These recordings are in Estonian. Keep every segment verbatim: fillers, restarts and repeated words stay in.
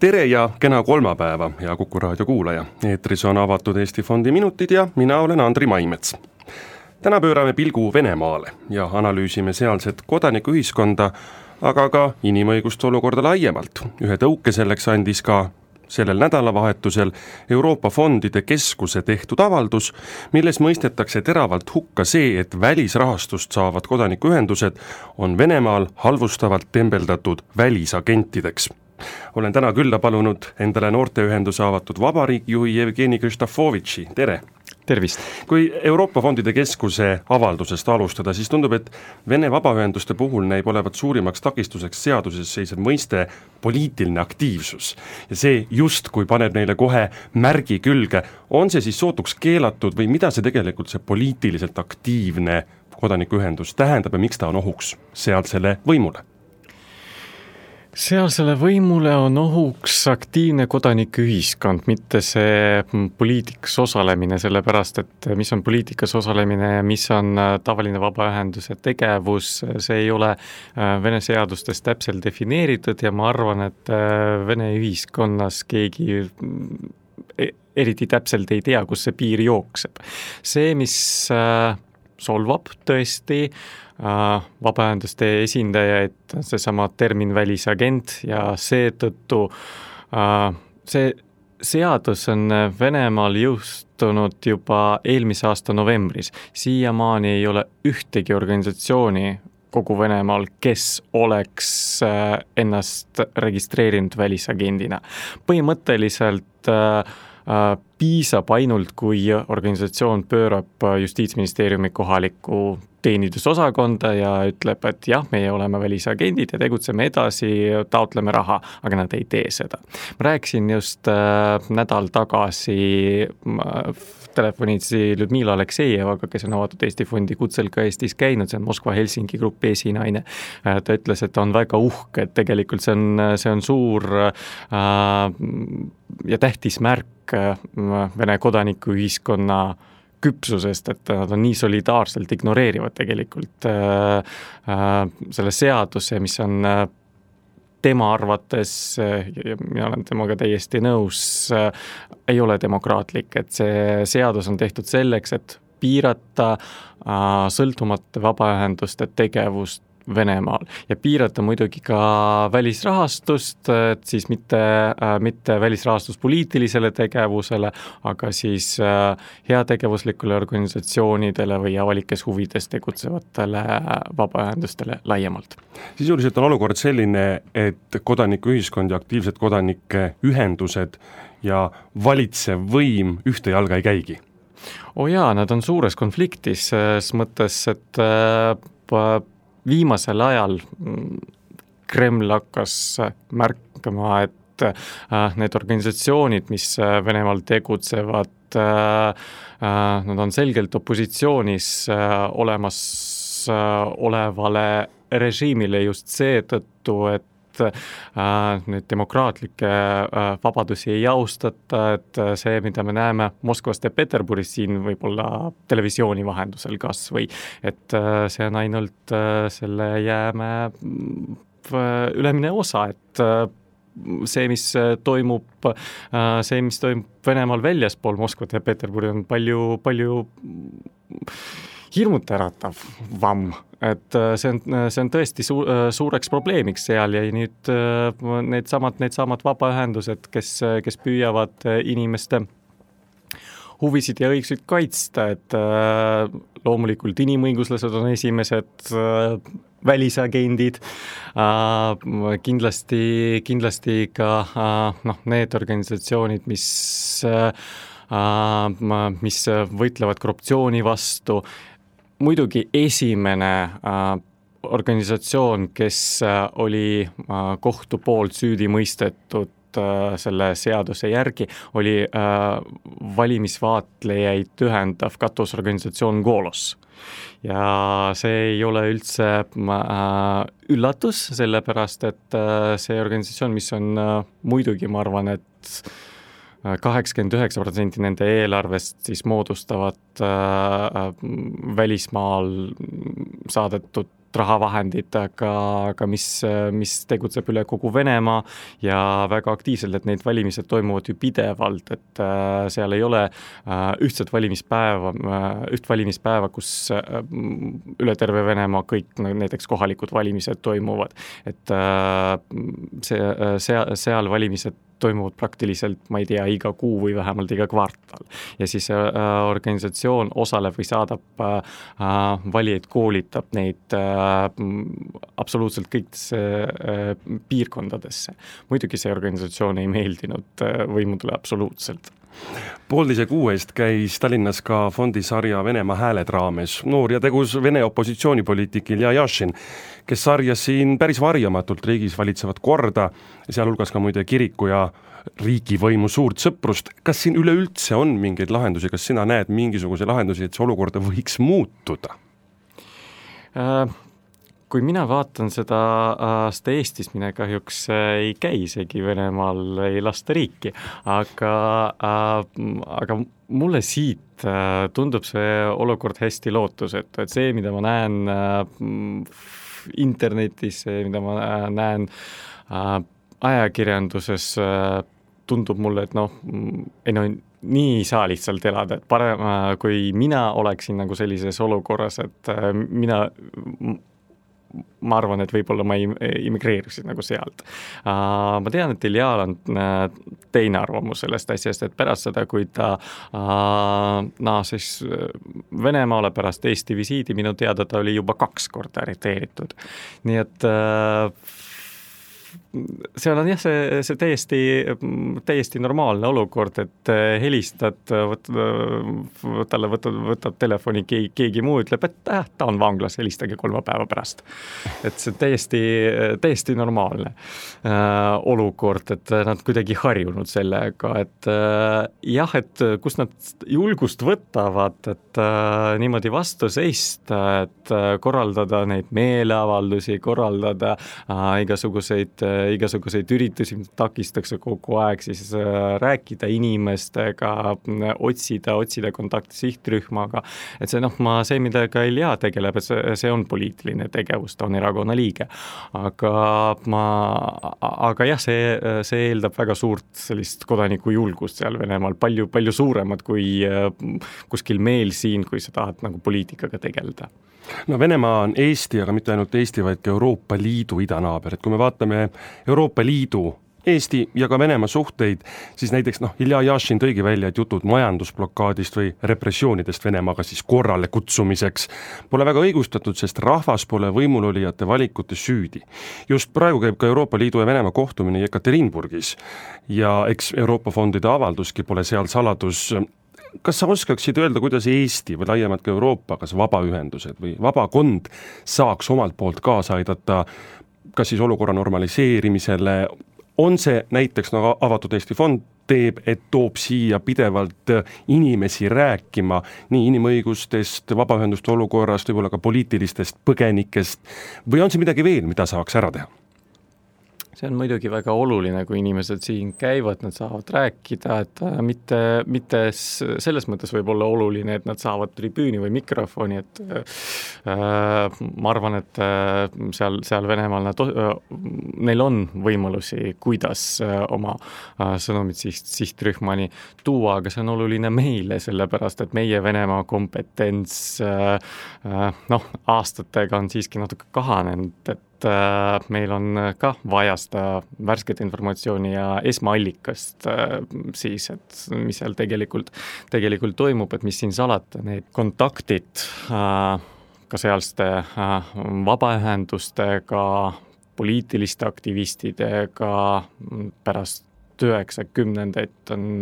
Tere ja kena kolmapäeva, hea Kuku raadio kuulaja. Eetris on avatud Eesti Fondi minutid ja mina olen Andri Maimets. Täna pöörame pilgu Venemaale ja analüüsime sealset kodanikuühiskonda, aga ka inimõiguste olukorda laiemalt. Ühe tõuke selleks andis ka sellel nädalavahetusel Euroopa Fondide Keskuse tehtud avaldus, milles mõistetakse teravalt hukka see, et välisrahastust saavad kodanikuühendused on Venemaal halvustavalt tembeldatud välisagentideks. Olen täna külla palunud endale noorteühenduse avatud vabariik juhi Jevgeni Kristofovitši. Tere! Tervist! Kui Euroopa Fondide Keskuse avaldusest alustada, siis tundub, et Vene vabaühenduste puhul näib olevat suurimaks takistuseks seaduses seisev mõiste poliitiline aktiivsus. Ja see just, kui paneb neile kohe märgi külge, on see siis sootuks keelatud või mida see tegelikult see poliitiliselt aktiivne kodanikuühendus tähendab ja miks ta on ohuks sealsele võimule? Sealsele võimule on ohuks aktiivne kodanikuühiskond, mitte see poliitikas osalemine, sellepärast, et mis on poliitikas osalemine ja mis on tavaline vabaühenduse tegevus, see ei ole Vene seadustes täpselt defineeritud ja ma arvan, et Vene ühiskonnas keegi eriti täpselt ei tea, kus see piir jookseb. See, mis solvab tõesti vabaühenduste esindajaid, seesama termin välisagent ja seetõttu see seadus on Venemaal jõustunud juba eelmise aasta novembris. Siiamaani ei ole ühtegi organisatsiooni kogu Venemaal, kes oleks ennast registreerinud välisagendina. Põhimõtteliselt piisab ainult, kui organisatsioon pöörab Justiitsministeeriumi kohaliku teenindusosakonda ja ütleb, et jah, meie oleme välisagendid ja tegutseme edasi, taotleme raha, aga nad ei tee seda. Ma rääkisin just äh, nädal tagasi äh, telefonitsi Ludmila Aleksejevaga, kes on avatud Eesti Fondi kutsel ka Eestis käinud, see on Moskva Helsingi grupi esinaine. Äh, ta ütles, et ta on väga uhke, et tegelikult see on, see on suur äh, ja tähtis märk äh, Vene kodanikuühiskonna küpsusest, et nad on nii solidaarselt ignoreerivad tegelikult äh, äh, selle seaduse, mis on äh, tema arvates, äh, ja mina olen temaga täiesti nõus, äh, ei ole demokraatlik, et see seadus on tehtud selleks, et piirata äh, sõltumata vabaühenduste tegevust Venemaal ja piirata muidugi ka välisrahastust, et siis mitte, mitte välisrahastus poliitilisele tegevusele, aga siis heategevuslikule organisatsioonidele või avalikes huvides tegutsevatele vabaühendustele laiemalt. Sisuliselt on olukord selline, et kodanikuühiskond ja aktiivsed kodanike ühendused ja valitsev võim ühte jalga ei käigi. O jaa, nad on suures konfliktis, selles mõttes, et äh, viimasel ajal Kreml hakkas märkama, et need organisatsioonid, mis Venemaal tegutsevad, nad on selgelt opositsioonis olemas olevale režiimile just seetõttu, et nüüd demokraatlikke vabadusi ei austata, et see, mida me näeme Moskvast ja Peterburis siin võib-olla televisiooni vahendusel kas või, et see on ainult selle jäämäe ülemine osa, et see, mis toimub, see, mis toimub Venemaal väljaspool Moskvat ja Peterburi, on palju, palju hirmuteratav vamm, et see on, see on tõesti suur, suureks probleemiks seal ja nüüd need samad, need samad vabaühendused, kes, kes püüavad inimeste huvisid ja õigsusid kaitsta, et loomulikult inimõiguslased on esimesed välisagendid, kindlasti, kindlasti ka noh, need organisatsioonid, mis mis võitlevad korruptsiooni vastu. Muidugi esimene äh, organisatsioon, kes äh, oli äh, kohtu poolt süüdi mõistetud äh, selle seaduse järgi, oli äh, valimisvaatlejaid ühendav katusorganisatsioon Golos. Ja see ei ole üldse äh, üllatus, sellepärast et äh, see organisatsioon, mis on äh, muidugi, ma arvan, et kaheksakümmend üheksa protsenti nende eelarvest siis moodustavad äh, välismaal saadetud rahavahendid, aga, aga mis, mis tegutseb üle kogu Venemaa ja väga aktiivselt, et neid valimised toimuvad ju pidevalt, et äh, seal ei ole äh, ühtset valimispäeva, äh, üht valimispäeva, kus äh, üle terve Venemaa kõik näiteks kohalikud valimised toimuvad. Et äh, see, see, seal valimised toimuvad praktiliselt, ma ei tea, iga kuu või vähemalt iga kvartal. Ja siis äh, organisatsioon osaleb või saadab äh, valijaid, koolitab neid äh, absoluutselt kõikidesse äh, piirkondadesse. Muidugi see organisatsioon ei meeldinud äh, võimudele absoluutselt. Poolteise kuu eest käis Tallinnas ka fondisarja Venemaa hääled raames noor ja tegus Vene opositsioonipoliitik Ilja Jašin, kes sarjas siin päris varjamatult riigis valitsevat korda, sealhulgas ka muide kiriku ja riigivõimu suurt sõprust. Kas siin üleüldse on mingeid lahendusi, kas sina näed mingisuguse lahendusi, et see olukorda võiks muutuda? Äh... Kui mina vaatan seda, seda Eestis, mine kahjuks ei käi isegi Venemaal, ei lasta riiki, aga, aga mulle siit tundub see olukord hästi lootusetu, et see, mida ma näen internetis, see, mida ma näen ajakirjanduses, tundub mulle, et noh, ei no, nii ei saa lihtsalt elada, et parem, kui mina oleksin nagu sellises olukorras, et mina ma arvan, et võib-olla ma immigreerusin nagu sealt. Ma tean, et Iljal on teine arvamus sellest asjast, et pärast seda, kui ta naasis Venemaale pärast Eesti visiidi, minu teada ta oli juba kaks korda arreteeritud. Nii et seal on jah, see, see täiesti, täiesti normaalne olukord, et helistad, võt, talle võtab, võtab telefoni keegi, keegi muu, ütleb, et äh, ta on vanglas, helistage kolme päeva pärast. Et see täiesti, täiesti normaalne äh, olukord, et nad kuidagi harjunud sellega, et äh, jah, et kus nad julgust võtavad, et äh, niimoodi vastu seista, et äh, korraldada neid meeleavaldusi, korraldada äh, igasuguseid igasuguseid üritusi, mida takistakse kogu aeg, siis rääkida inimestega, otsida, otsida kontakti sihtrühmaga. Et see, noh, ma, see, mida ka Ilja tegeleb, et see, see on poliitiline tegevus, ta on erakonna liige. Aga, ma, aga jah, see, see eeldab väga suurt sellist kodaniku julgust seal Venemaal, palju, palju suuremad kui kuskil meil siin, kui sa tahad nagu poliitikaga tegeleda. No Venemaa on Eesti, aga mitte ainult Eesti, vaid ka Euroopa Liidu idanaaber, et kui me vaatame Euroopa Liidu, Eesti ja ka Venemaa suhteid, siis näiteks noh, Ilja Jašin tõigi välja, et jutud majandusblokaadist või repressioonidest Venemaaga siis korrale kutsumiseks pole väga õigustatud, sest rahvas pole võimulolijate valikute süüdi. Just praegu käib ka Euroopa Liidu ja Venemaa kohtumine Jekaterinburgis ja eks Euroopa fondide avalduski pole seal saladus. Kas sa oskaksid öelda, kuidas Eesti või laiemalt ka Euroopa, kas vabaühendused või vabakond saaks omalt poolt kaasa aidata kas siis olukorra normaliseerimisele, on see näiteks nagu avatud Eesti fond teeb, et toob siia pidevalt inimesi rääkima nii inimõigustest, vabaühenduste olukorrast, võib-olla ka poliitilistest põgenikest või on see midagi veel, mida saaks ära teha? See on muidugi väga oluline, kui inimesed siin käivad, nad saavad rääkida, et mitte, mitte selles mõttes võib olla oluline, et nad saavad tribüüni või mikrofoni, et äh, ma arvan, et äh, seal, seal Venemaal nad, äh, neil on võimalusi, kuidas äh, oma äh, sõnumid siht, sihtrühmani tuua, aga see on oluline meile, sellepärast, et meie Venemaa kompetents äh, äh, noh, aastatega on siiski natuke kahanenud, et meil on ka vaja seda värsket informatsiooni ja esmaallikast siis, et mis seal tegelikult, tegelikult toimub, et mis siin salata, need kontaktid ka sealste vabaühendustega, poliitiliste aktivistidega pärast üheksakümnendaid on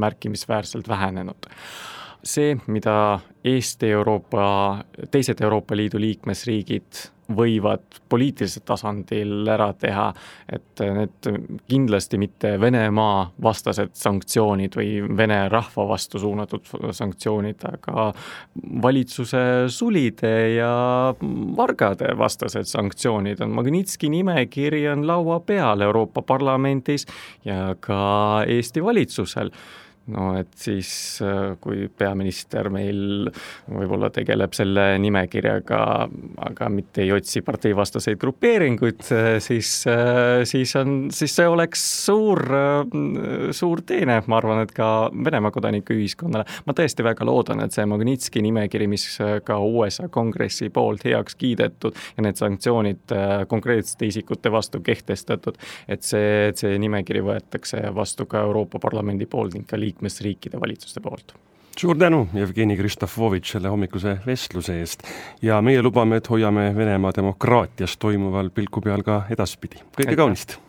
märkimisväärselt vähenenud. See, mida Eesti, Euroopa, teised Euroopa Liidu liikmesriigid võivad poliitilisel tasandil ära teha, et need kindlasti mitte Venemaa vastased sanktsioonid või Vene rahva vastu suunatud sanktsioonid, aga valitsuse sulide ja vargade vastased sanktsioonid on. Magnitski nimekiri on laua peal Euroopa Parlamendis ja ka Eesti valitsusel. no et siis, kui peaminister meil võib-olla tegeleb selle nimekirjaga, aga mitte ei otsi parteivastaseid grupeeringuid, siis, siis, on, siis see oleks suur, suur teene, ma arvan, et ka Venemaa kodanikuühiskonnale. Ma tõesti väga loodan, et see Magnitski nimekiri, mis ka U S A kongressi poolt heaks kiidetud ja need sanktsioonid konkreetsete isikute vastu kehtestatud, et see, et see nimekiri võetakse vastu ka Euroopa Parlamendi poolt ning ka liikmesriikide valitsuste poolt. Suur tänu, Jevgeni Kristofovitš, selle hommikuse vestluse eest ja meie lubame, et hoiame Venemaa demokraatias toimuval pilku peal ka edaspidi. Kõige kaunist!